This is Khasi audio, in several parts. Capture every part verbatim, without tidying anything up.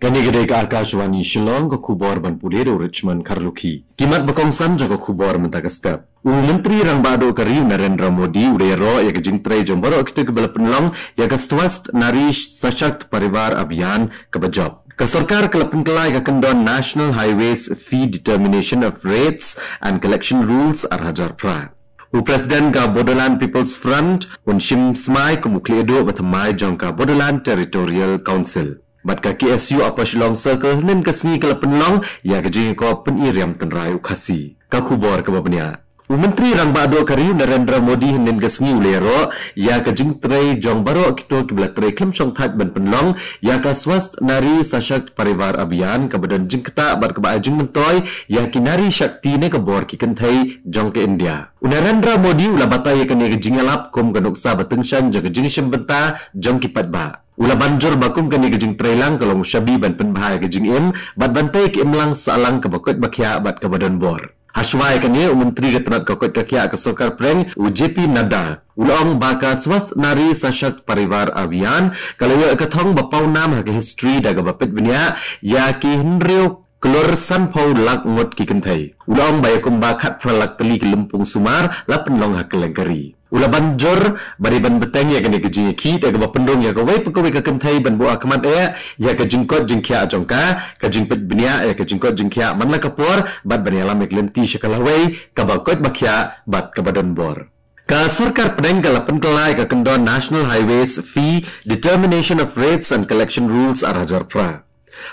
Kane ka dei ka Akashvani Shillong, ka khubor ban pule da u Richmond Kharlukhi. Ki mat ba kongsan jong ka khubor mynta ka step. U Myntri Rangbah Duh ka ri u Narendra Modi u la ïaroh ïa ka jingtrei jong baroh kito kiba la pynlong ïa ka Swasth Nari Sashakt Parivar Abhiyan kaba jop. Ka sorkar ka la pynkylla ïa ka kyndon National Highways Fee Determination of Rates and Collection Rules ar hajar phra. U President ka Bodoland People's Front un shim smai kum u khlieh duh ba thymmai jong ka Bodoland Territorial Council. Bad ka K S U Upper Shillong Circle hynnin ka sngi ka la pynlong ïa ka jingïakop pyni riam tynrai u Khasi. Ka khubor kaba bniah. U Myntri Rangbah Duh ka ri u Narendra Modi hynnin ka sngi u la ïaroh ïa ka jingtrei jong baroh kito kiba la trei khlem shongthait ban pynlong ïa ka Swasth Nari Sashakt Parivar Abhiyan kaba don jingktah bad kaba ai jingmyntoi ïa ki nari shakti ne ka bor ki kynthei jong ka India. U Narendra Modi u la batai ïa kane ka jingïalap kum ka nuksa ba tyngshaiñ jong ka jingshim bynta jong ki paidbah. U la ban jur ba kum kane ka jingtrei lang ka long u shabi ban pynbha ïa ka jingim bad ban tei ka imlang sahlang kaba koit ba khiah bad kaba don bor. Hashwa ïa kane, u Myntri ka tnat ka koit ka khiah ka Sorkar Pdeng, u J P Nadda, u la ong ba ka Swasth Nari Sashakt Parivar Abhiyan ka la ïoh ïa ka thong ba pawnam ha ka history da kaba peit bniah ïa ki hynriew klur sanphew lak ngut ki kynthei. U la ong ba ïa kumba khatphra lak tylli ki lympung sumar la pynlong ha kylleng ka ri. U la ban jur ba dei ban bteng ïa kane ka jingïakhih da kaba pynrung ïa kawei pa kawei ka kynthei ban buh ha khmat eh ïa ka jingkoit jingkhiah jong ka, ka jingpeit bniah ïa ka jingkoit jingkhiah man la ka por bad ban ïalam ïa ka lynti sha ka lawei kaba koit ba khiah bad kaba don bor. Ka Sorkar Pdeng ka la pynkylla ïa ka kyndon National Highways Fee Determination of Rates and Collection Rules ar hajar phra.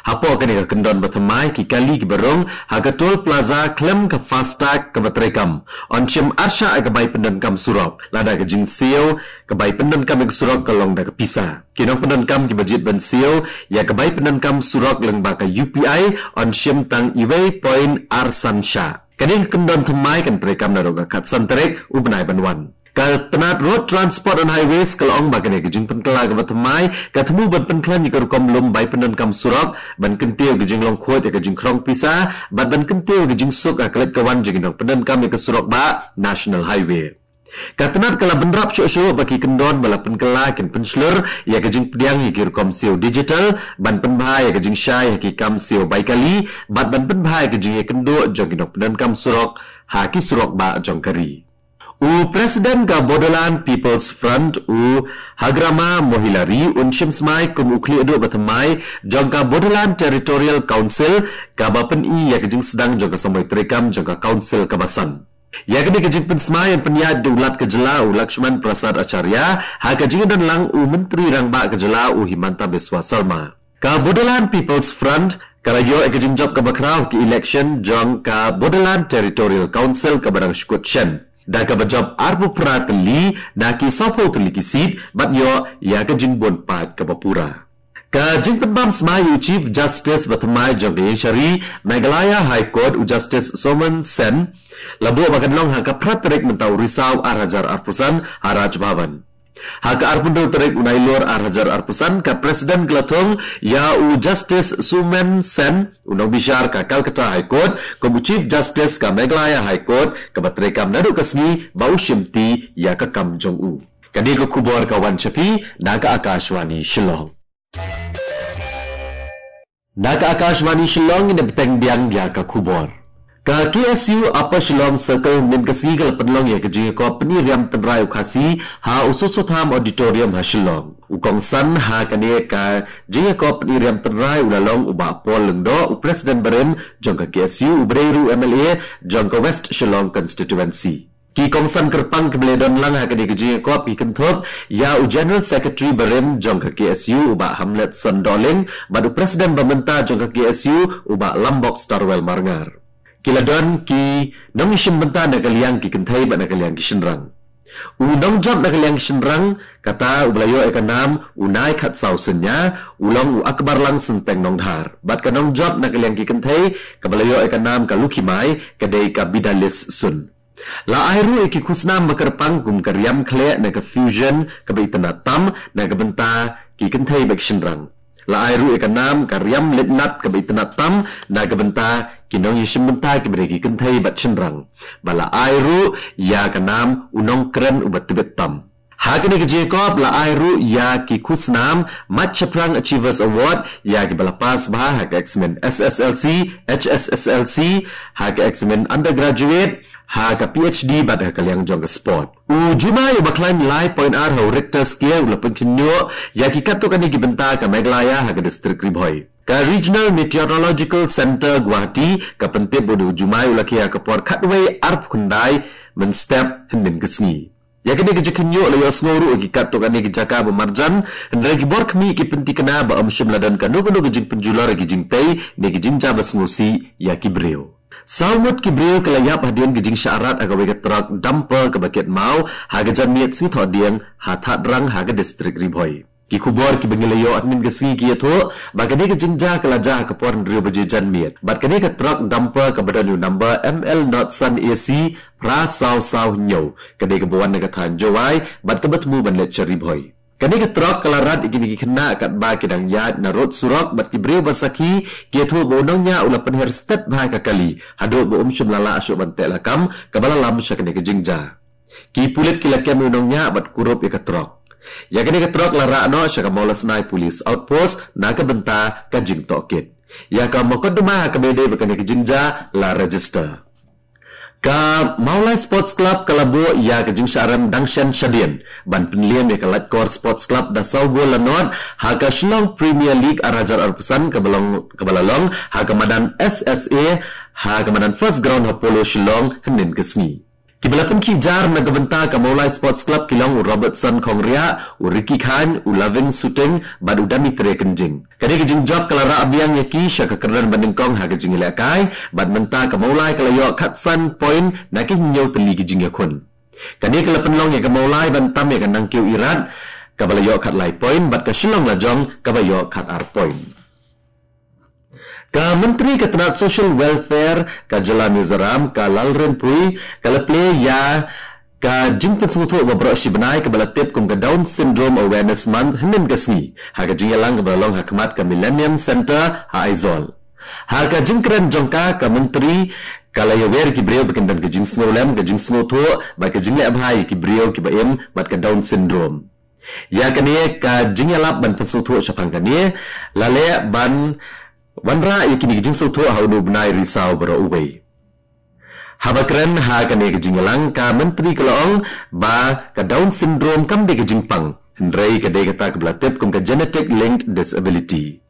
Hapoh kane ka kyndon ba thymmai, ki kali kiba rung ha ka toll plaza khlem ka FASTag kaba treikam yn shim arshah ïa ka bai pyndonkam surok, lada ka jingsiew ka bai pyndonkam ïa ka surok ka long da ka pisa. Ki nongpyndonkam kiba jied ban siew ïa ka bai pyndonkam surok lyngba ka U P I yn shim tang iwei point ar san shah. Kane ka kyndon thymmai kan treikam naduh ka khatsan tarik u bnai ban wan. Ka tnat Road Transport and Highways ka la ong ba kane ka jingpynkylla kaba thymmai ka thmu ban pynkhlaiñ ïa ka rukom lum bai pyndonkam surok, ban kyntiew ïa ka jinglong khuid ïa ka jingkhrong pisa bad ban kyntiew ïa ka jingsuk ha ka leit ka wan jong ki nongpyndonkam ïa ka surok bah National Highway. Ka tnat ka la bynrap shuh shuh ba ki kyndon ba la pynkylla kin pynshlur ïa ka jingpdiang ïa ki rukom siew digital ban pynbha ïa ka jingshai ha ki kam siew bai kali bad ban pynbha ïa ka jingïakynduh jong ki nongpyndonkam surok ha ki surok bah jong ka ri. U President ka Bodoland People's Front, u Hagrama Mohilari, un shim smai kum u khlieh duh ba thymmai jong ka Bodoland Territorial Council, kaba pyni ïa ka jingsdang jong ka symbai treikam jong ka Council kaba san. Ïa kane ka jingpynsmai yn pynïaid da u Lat ka jylla u Lakshman Prasad Acharya ha ka jingdon lang u Myntri Rangbah ka jylla u Himanta Biswa Sarma. Ka Bodoland People's Front ka la ïoh ïa ka jingjop kaba khraw ha ka election jong ka Bodoland Territorial Council kaba dang shu kut shen, da kaba jop arphew phra tylli na ki sawphew tylli ki seat bad ïoh ïa ka jingbun paid kaba pura. Ka jingpynbam smai ïa u Chief Justice ba thymmai jong ka ïingshari Meghalaya High Court, u Justice Somen Sen, la buh ba kan long ha ka phra tarik mynta u Risaw ar hajar arphew san ha Raj Bhavan. Ha ka arphew hynriew tarik u Nailur ar hajar arphew san, ka President ka la thung ïa u Justice Somen Sen, u nongbishar ka Calcutta High Court, kum u Chief Justice ka Meghalaya High Court, kaba treikam naduh ka sngi ba u shimti ïa ka kam jong u. Kane ka khubor ka wan sha phi na ka Akashvani Shillong. Na ka Akashvani Shillong, ngin ïa bteng biang ïa ka khubor. Ka K S U Upper Shillong Circle mynta ka sngi ka la pynlong ïa ka jingïakop pyni riam tynrai u Khasi ha u Soso Tham Auditorium ha Shillong. U kongsan ha kane ka jingïakop pyni riam tynrai u la long u Bah Paul Lyngdoh, u President barim jong ka K S U, uba dei ruh u M L A jong ka West Shillong Constituency. Ki kongsan kyrpang kiba la don lang ha kane ka jingïakop ki kynthup ïa u General Secretary barim jong ka K S U, u Bah Hamletson Dohling, bad u President ba mynta jong ka K S U, u Bah Lambok Starwell Marngar. Ki la don ki nongïashim bynta na ka liang ki kynthei bad na ka liang ki shynrang. U nongjop na ka liang ki shynrang, kata uba la ïoh ïa ka nam u Nai Khatsaw Synñia, u long u Akbarlang Synteng Nongdhar. Bad ka nongjop na ka liang ki kynthei kaba la ïoh ïa ka nam ka Lucky Mai, ka dei ka Bidalis Sun. La ai ruh ïa ki khusnam ba kyrpang kum ka riam khleh ne ka fusion kaba itynnad tam na ka bynta ki kynthei bad ki shynrang. La ai ruh ïa ka nam ka riam leit nat kaba itynnad tam na ka bynta ki nongïashim bynta kiba dei ki kynthei bad shynrang. Bad la ai ruh ïa ka nam u nongkren uba tbit tam. Ha kane ka jingïakop la ai ruh ïa ki khusnam Mait Shaphrang Achievers Award ïa kiba la pass bha ha ka examen S S L C, H S S L C, ha ka examen undergraduate, ha ka P H D bad ha ka liang jong ka sport. U jumai uba khlaiñ lai point ar ha u Richter scale u la pynkynñiuh ïa ki katto katne ki bynta ka Meghalaya ha ka district Ri Bhoi. Ka Regional Meteorological Centre Guwahati ka pyntip ba u jumai u la khie ha ka por khatwei arphew khyndai mynstep hynnin ka sngi. Ïa kane ka jingkhynñiuh la ïohsngew ruh ha ki katto katne ki jaka ba marjan, hynrei ki bor khmih ki pyntikna ba ym shym la don kano kano ka jingpynjulor ha ki jingtei ne ki jingjia ba sngewsih ïa ki briew. Saw ngut ki briew ki la ïap hadien ka jingshah rat ha kawei ka trok dumper kaba kit maw ha ka janmiet Sngi Thohdieng ha Thadrang ha ka district Ri Bhoi. Ki khubor kiba ngi la ïoh hynnin ka sngi ki ïathuh ba kane ka jingjia ka la jia ha ka por hynriew baje janmiet bad kane ka trok dumper kaba don ïa u number M L not san A C phra saw saw hynñiew ka dei kaba wan na ka thaiñ Jowai bad kaba thmu ban leit sha Ri Bhoi. Kane ka trok ka la rat ïa kine ki khynnah katba ki dang ïaid na rud surok bad ki briew ba sakhi ki ïathuh ba u nongñiah u la pynher stet bha ïa ka kali haduh ba um shym la lah shuh ban teh lakam kaba la lam sha kane ka jingjia. Ki pulit ki la kem ïa u nongñiah bad kurup ïa ka trok. Ïa kane ka trok la rah noh sha ka Mawlasnai Police Outpost na ka bynta ka jingtohkit. Ïa ka mukotduma ha kaba ïadei bad kane ka jingjia la register. Ka Mawlai Sports Club ka la buh ïa ka jingshah rem dang shen shadien ban pynliem ïa ka Laitkor Sports Club da saw gol la nod ha ka Shillong Premier League ar hajar arphew san kaba long, kaba la long ha ka madan S S A, ha ka madan First Ground ha Polo Shillong hynnin ka sngi. Kiba la pynkhih jar na ka bynta ka Mawlai Sports Club ki long u Robertson Khongriah, u Ricky Khan, u Loving Suting bad u Damitre Kynjing. Kane ka jingjop ka la rah biang ïa ki sha ka kyrdan ba nyngkong ha ka jingïalehkai bad mynta ka Mawlai ka la ïoh khatsan point na ki hynñiew tylli ki jingïakhun. Kane ka la pynlong ïa ka Mawlai ban tam ïa ka Nangkiew Irat kaba la ïoh khatlai point bad ka Shillong Lajong kaba ïoh khatar point. Ka Myntri ka tnat Social Welfare ka jylla Mizoram, ka Lalrynpui, ka la plie ïa ka jingpynsngewthuh ba baroh shi bnai kaba la tip kum ka Down Syndrome Awareness Month hynnin ka sngi ha ka jingïalang kaba la long ha khmat ka Millennium Centre ha Aizawl. Ha ka jingkren jong ka, ka Myntri ka la ïawer ki briew ba kin don ka jingsngewlem, ka jingsngewthuh bad ka jingleh bha ïa ki briew kiba im bad ka Down Syndrome. Ïa kane ka jingïalap ban pynsngewthuh shaphang kane la leh ban wanrah ïa kine ki jingsngewthuh ha une u bnai Risaw baroh uwei. Haba kren ha kane ka jingïalang, ka Myntri ka la ong ba ka Down Syndrome kam dei ka jingpang, hynrei ka dei kata kaba la tip kum ka Genetic Linked Disability.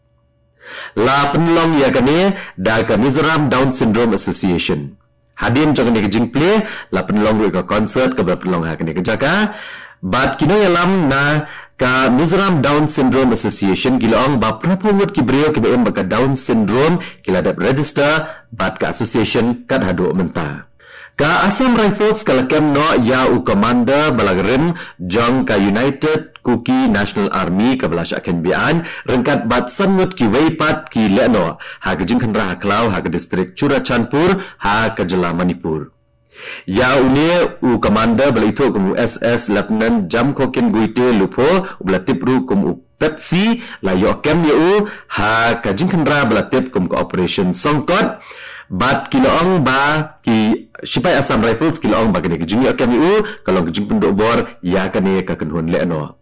La pynlong ïa kane da ka Mizoram Down Syndrome Association. Hadien jong kane ka jingplie la pynlong ruh ïa ka concert kaba la pynlong ha kane ka jaka. Bad ki nongïalam na ka Mizoram Down Syndrome Association ki la ong ba phra phew ngut ki briew kiba im bad ka Down Syndrome ki la dep register bad ka association kat haduh mynta. Ka Assam Rifles ka la kem noh ïa u commander ba la rim jong ka United Kuki National Army kaba la shah kheiñ beaiñ ryngkat bad san ngut kiwei pat ki lehnoh ha ka jingkhynra ha khlaw ha ka district Churachandpur ha ka jylla Manipur. Ïa une u commander ba la ithuh kum u S S Lieutenant Jamkhokin Guite Lupho, uba la tip ruh kum u Pepsi, la ïoh kem ïa u ha ka jingkhynra ba la tip kum ka Operation Songkot. Bad ki la ong ba ki shipai Assam Rifles ki la ong ba kane ka jingïoh kem ïa u ka long ka jingpynduh bor ïa kane ka kynhun lehnoh.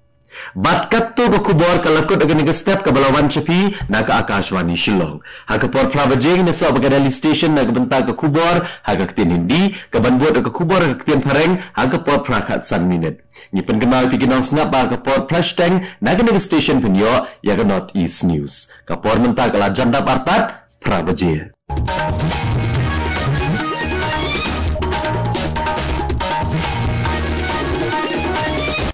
Bad katto ka khubor ka la kut ha kane ka step kaba la wan sha phi na ka Akashvani Shillong. Ha ka por phra baje ngin ïasoh bad ka Delhi Station na ka bynta ka khubor ha ka ktien Hindi, kaban bud ka khubor ha ka ktien Phareng ha ka por phra khatsan minit. Ngi pynkynmaw ïa phi ki nongsngap ba ha ka por phra shiteng na kane ka station phin ïoh ïa ka North East News. Ka por mynta ka la jan dap artat phra baje.